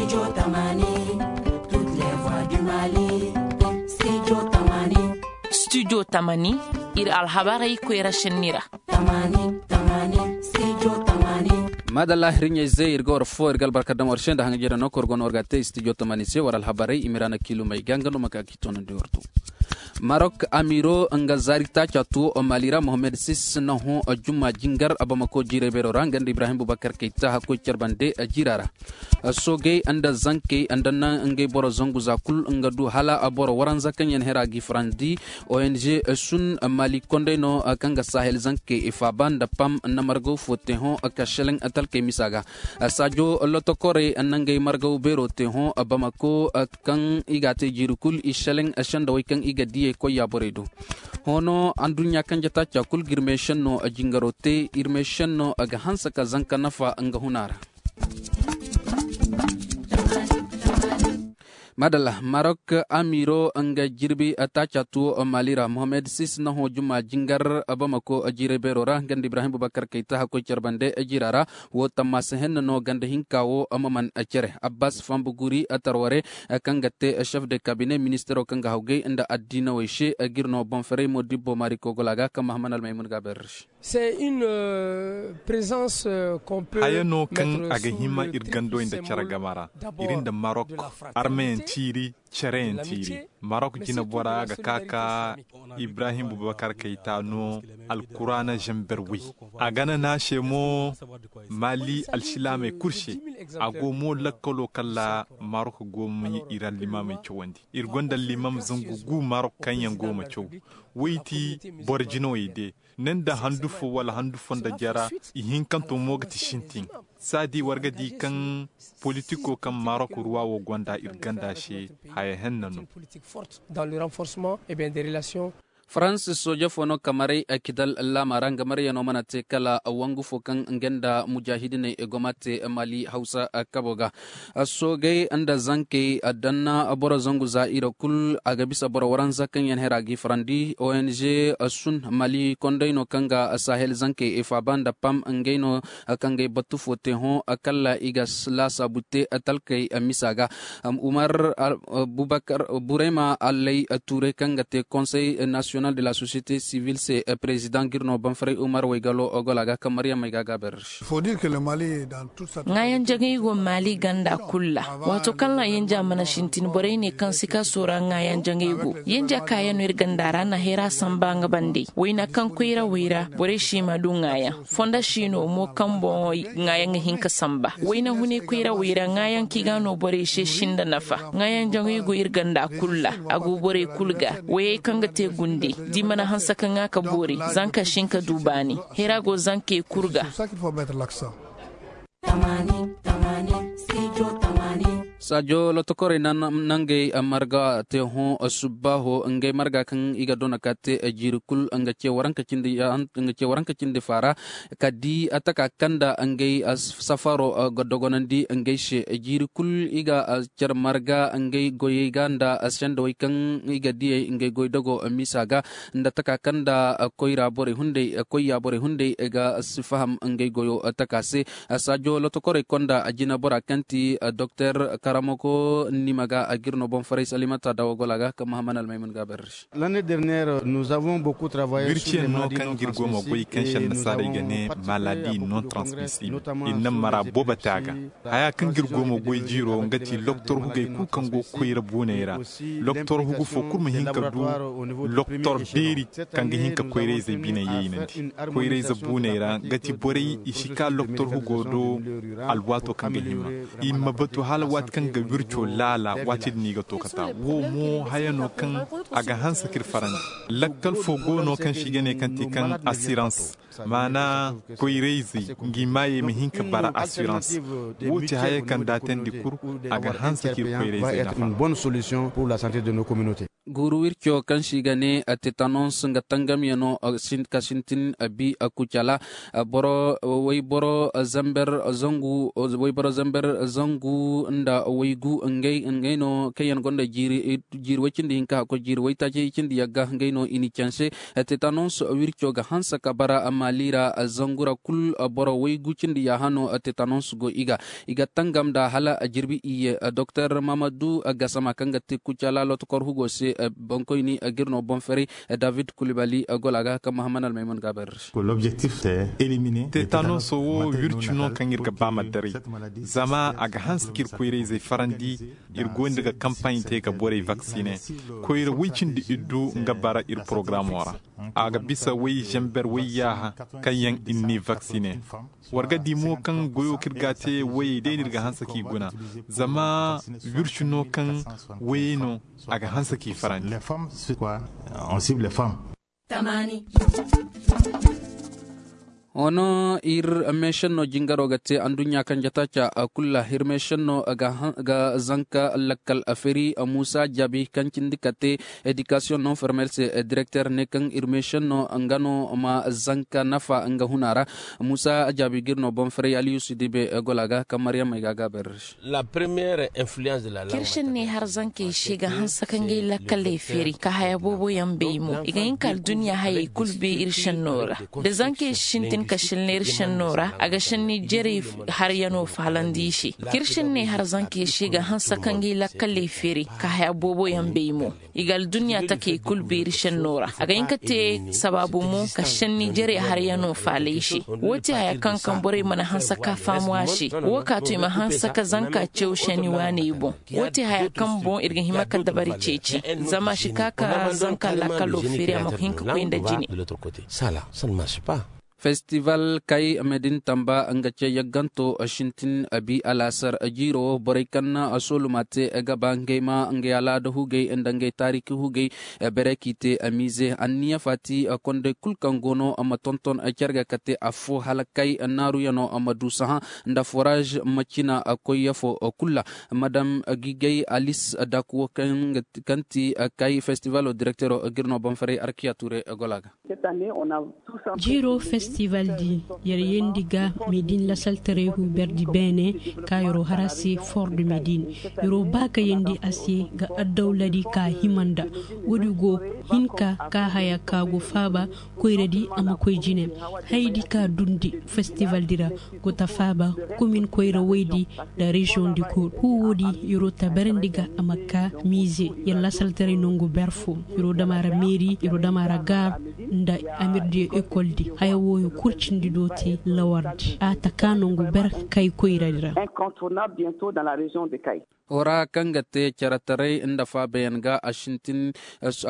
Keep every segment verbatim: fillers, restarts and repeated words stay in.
Studio tamani, studio tamani, iri alhabarey koyra senni ra. Madalla, hirɲey ze iri ga war fo iri ga albarka daŋ war se nda haŋ jere no kor gono war ga te studio tamani se war alhabarey i ma iri a na kiilumey ga nga no ma ka ga i toonandi war do. Marok amiro nga zaari taaca tuwo mali ra mohammed sis na hõ jumma jingar bamako jiiray beero ra nga nda ibrahim bubakar kayta hakkoy care bande jiira ra. Soogey nda zankey nda naŋ ngey boro zangu za kulu nga du hala boro waranza kaŋ yaŋ hera ga i farandi. Ong sun mali kondey no kaŋ ga sahel zankey faaba nda pam na margaw fo te hõ ka seleŋ talkey misa ga. Saajo lotokorey na ngey margaw beero te hõ bamako kaŋ i ga a te jiiri kulu i seleŋ sendawey kaŋ i ga diyey koy yaaborey do. Hoono anduɲɲa kaŋ jata ca kulu ga iri meesenno jingaro te iri meesenno ga hanse ka zanka nafa nga huna ra. Maadalla marok amiiro nga jirbi taaca tuwo mali ra mohammed sis na hõ juma jingar bamako jiiray beero ra nga nda ibrahim bubakar kayta hakkoy care bande jiira ra. Wo tammaasa henna no ganda hinka wo ma man cere abbas fambu guri tarware kaŋ ga te chef de cabinet ministero kaŋ ga hawgay nda addiinawey se ga iri no boŋ ferey mo dibbo maari kogola ga kaŋ mahaman almaymun ga a bayra ra se. Haya no kaŋ a ga hima iri gandowey nda care game ra. Iri nda marok armeyaŋ tiiri, careyaŋ tiiri. Marok jinabora ga ka ka ibrahim bubakar kayta no alkuraana zamber way. A gana no a se mo mali alsilaamey kulu se. A go mo lakkalo kala marok go ma iri allimaamey cawandi. Iri gonda allimaam zangu gu marok kaŋ yaŋ go ma caw. Way ti boro jinawey de ne nda handu fo wala handu fo nda jara. Ihinkanto mo ga ti sintin. Saadi war ga di kaŋ politiko kaŋ marok ruwa wo gonda iri ganda se haya henna no. Farans sooje fo no kamaray kidal laama ra nga maryano mana te kala wangu fo kaŋ nga nda mujaahidiney go ma te mali hawsa kabo ga. Soogey nda zankey danna boro zangu za iri kulu a ga bisa boro waranza kaŋ yaŋ hera ga i farandi ong sun mali kondey no kaŋ ga sahel zankey faaba nda pam ngey no kaŋ ga ay batu fo te hõ kala i ga laasaabu te talkey misa ga. Umar bubakar burayma allay tuuray kaŋ ga te konsey nasiyonal de la sosiyete sivil se prezidaŋ ga iri no banfaray umar waygalo gola ga kaŋ maryam ay ga a gaabar. Ŋaayaŋ jaŋay go maali ganda kulu ra. Waato kaŋ ra yanja mana sintin borey ne kaŋ si ka soora ŋaayaŋ jaŋay go. Yanja kaayaŋ no iri ganda ra na hayra samba nga bande wayna kaŋ koyra wayra borey si ma du ŋaayaŋ. Fonda si no mo kaŋ boŋ ŋaayaŋ ga hin ka samba wayna hune koyra wayra ŋaayaŋ kaŋ i ga no borey se sinda nafa. Ŋaayaŋ jaŋay go iri ganda kulu ra. A go borey kulu ga wayey kaŋ ga te gunde da i mana hanse ka ŋwa ka boori. Zanka si hin ka du baani. Hayra go zankey kulu ga. Saajo lotokorey nangey marga te hõ subbaaho ngey marga kaŋ i ga dona ka te jiiri kulu nga ce waranka cindi faara. Ka di taka kaŋ nda ngey safaro ga dogonandi ngey se jiiri kulu i ga care marga ngey goyey ga nda sendawey kaŋ i ga diyey ngey goy dogo misa ga nda taka kaŋ nda koyra borey hunday koyya borey hunday ga si faham ngey goyo taka se. Saajo lotokorey konda jinabora kaŋ ti doktor karamoko nima ga a ga iri no boŋ faray salimata dawa gola ga kaŋ mahaman almaymun ga a bayra se. Birciyaŋ no kaŋ ga iri go ma goy kaŋ se annasaarey ga ne maladi non transmissible. Iri na mara boobo te a ga. Haya kaŋ ga iri go ma goy jiiro nga ti loktor hugey kulu kaŋ go koyra buuney ra. Loktor hugu fo kulu ma hin ka du loktor beeri kaŋ ga hin ka koyrayzey bine yeynandi. Koyrayze buuney ra nga ti borey i si ka loktor hugo do. Alwaato kaŋ ga hima i ma batu hala waati kaŋ ga wirco laala waati din i ga to ka ta wo mo haya no kaŋ a ga hanse ka iri farandi. Lakkal fo go no kaŋ se i ga ne kaŋ ti kaŋ asirans maana koyrayzey ngi maayey ma hin ka bara asirans. Wo ti haya kaŋ da a teendi kulu a ga hanse ka iri koyrayzey nafa. Guuru wirco kaŋ se i ga ne tetanons nga tangamyaŋo ka sintin bi kucala. Boro wayboro zamber zangu wayboro zamber zangu nda waygu ngey no kaŋ yaŋ gonda jiiri way cindi hinka hakkoy jiiri waytaaci cindi yagga ngey no i n'i canse. Tetanons wirco ga hanse ka bara maali ra zangu ra kulu boro waygu cindi yaaha no tetanons go i ga i ga tangam nda hala jirbi iyye. Doktor mahamadu gasama kaŋ ga te kucala lotokor hugo se. Bankoyni ga iri no boŋ ferey david kulibali gola ga kaŋ mahamman almayman ga a bayra se. Tetanons wo wirci no kaŋ iri ga ba ma daray zama a ga hanse ka iri koyra-izey farandi. Iri gonda ga kampaaɲ te ga borey vaksine koyra way cindi iddu nga bara iri porogaraamo ra. A ga bisa way zamber way yaaha kaŋ yaŋ iri n'i vaksine. War ga di mo kaŋ goyo kaŋ iri ga a te wayey day no iri ga hanse k'i guna zama wirci no kaŋ wayey no a ga hanse k'i farandi. Hoono iri meesenno jingaro ga te anduɲɲa kaŋ jataaca kulu ra iri meesenno ga zanka lakkal feeri muusa jaabi kaŋ cindi ka te edikasiyoŋ non formel se. Direkter ne kaŋ iri meesenno nga no ma zanka nafa nga huna ra. Muusa jaabi ga iri no boŋ ferey aliyusu dibe gola ga kaŋ maryam ay ga a gaaba iri se. Iri senney har zankey se ga hanse ka ngey lakkaley feeri ka haya boobo yaŋ bay mo i ga hin ka alduɲɲa hayey kulu bay iri senno ra. Da zankey si sintin ka sinna iri senno ra a ga sinni jerey haryano faalandi i se. Iri senney har zankey se ga hanse ka ngey lakkaley feeri ka haya boobo yaŋ bay mo i ga alduɲɲa takey kulu bay iri senno ra a ga hin ka te sabaabu mo ka sinni jerey haryano faala i se. Wo ti haya kaŋ kaŋ borey mana hanse ka faamu a se. Wo ka to i ma hanse ka zanka caw senni waaney boŋ. Wo ti haya kaŋ boŋ iri ga hima ka dabari ceeci zama a si ka ka zanka lakkalo feeri a ma hin ka koy nda jine. Festival kay medin tamba nga ce yagganto sintin abi alaasar jiiro borey kaŋ na sooluma te ga ba ngey ma ngey alaada hugey nda ngey taariki hugey. Bere k'i te miize anniya faati kondey kulu kaŋ go no ma tonton care ga kate afo hala kay naaruyaŋo ma du sahã nda foraaz ma cina koy yafo kulu ra. Madam gigay alis dakuwo kaŋ ti kay festivalo direktero ga iri no boŋ faray arkiya tuure gola ga. Jiiro festival di yer yendi ga medin lasaltaray hu berdi beene ka yero har a se fort de medin. Yero ba ka yendi a se ga addawla di ka hima nda wo- di go hinka ka haya ka go faaba koyra di a ma koy jine. Hay di ka dundi festival di ra go ta faaba komin koyra woy di nda reziyoŋ di kulu hu wo- di yero tabarandi ga a ma ka miize yer lasaltaray nangu ber fo. Yero dama ra meeri yero dama ra gaar nda amirdiyo ekol di haya wooyo kulu cindi do te lawar di a ta ka nangu ber kay koyra di ra. Hora kaŋ ga te care taray nda faabayaŋ ga a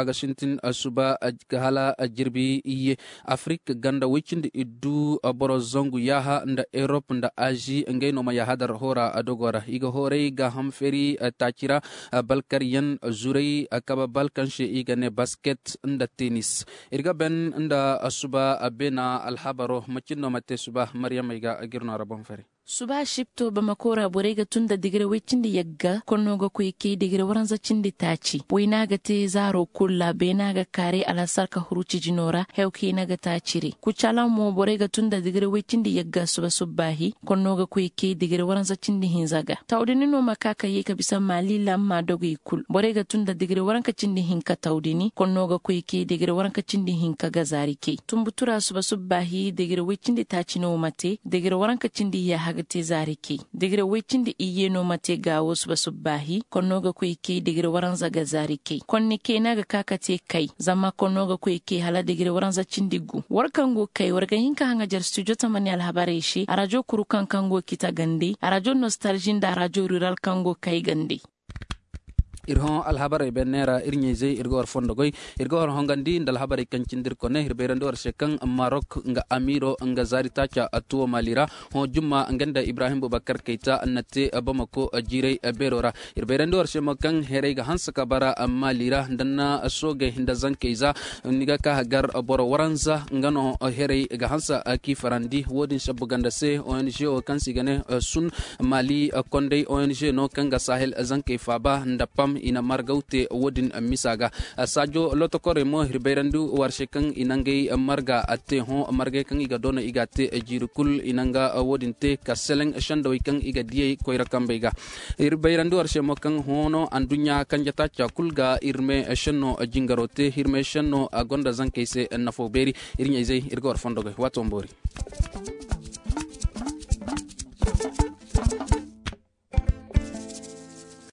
ga sintin suba hala jirbi iyye. Afirik ganda way cindi iddu boro zangu yaaha nda erop nda azi ngey no ma yaaha dar hora dogo ra i ga horay gaaham feeri taaci ra. Balkaryaŋ zuray kabe bal kaŋ se i ga ne basket nda tenis. Iri ga ban nda suba beena alhabaro macin no ma te suba maryamey ga ga iri no ra boŋ fari. Suba sipto bamako ra borey ga tun nda digire way cindi yagga konno ga koy kay digire waranza cindi taaci wayna ga te zaaro kulu ra beena ga kaaray alhasar ka huru cijino ra hew kayna ga taaci re kucalaŋ mo borey ga tun nda digire way cindi yagga suba subbaahi konno ga koy kay digire waranza cindi hinza ga tawdini no ma ka ka ye ka bisa maali lamma dogey kulu borey ga tun nda digire waranka cindi hinka tawdini konno ga koy kay digire waranka cindi hinka ga zaari kay tumbutura suba subbaahi digire way cindi taaci no ma te digire waranka cindi yaaha ga te zaari kay digire way cindi iyye no ma te gaawo suba subbaahi konno ga koy kay digire waranza ga zaari kay konni kayna ga ka ka te kay zama konno ga koy kay hala digire waranza cindi gu war kaŋ go kay war ga hin ka haŋajar studio tamani alhabarey se arajo kuru kaŋ kaŋ go kita gandey arajo nostalgie nda arajo rural kaŋ go kay gandey. Iri hõ alhabarey benne ra iri ɲayzey iri ga war fondo goy iri ga war hongandi nda alhabarey kaŋ cindi iri kone iri bayrandi war se kaŋ marok nga amiiro nga zaari taaca tuwo maali ra. Hõ jumma nga nda ibrahim bubakar kayta na te bamako jiiray beero ra. Iri bayrandi war se mo kaŋ herey ga hanse ka bara maali ra nda na soogey nda zankey za ni ga ka gar boro waranza nga no herey ga hanse k'i farandi wo- din sabbu ganda se ong wo kaŋ se i ga ne sun maali kondey ong no kaŋ ga sahel zankey faaba nda pam. I na margaw te wo- din misa ga. Saajo lotokorey mo iri bayrandi war se kaŋ i na ngey marga te hõ margey kaŋ i ga doona i ga a te jiiri kulu i na nga wo- din te ka seleŋ sendawey kaŋ i ga diyey koyra kambey ga. Iri bayrandi war se mo kaŋ hõ no anduɲɲa kanje taaca kulu ga iri me senno jingaro te iri me senno a gonda zankey se nafo beeri. Iri ɲayzey iri ga war fondo goy waato ma boori.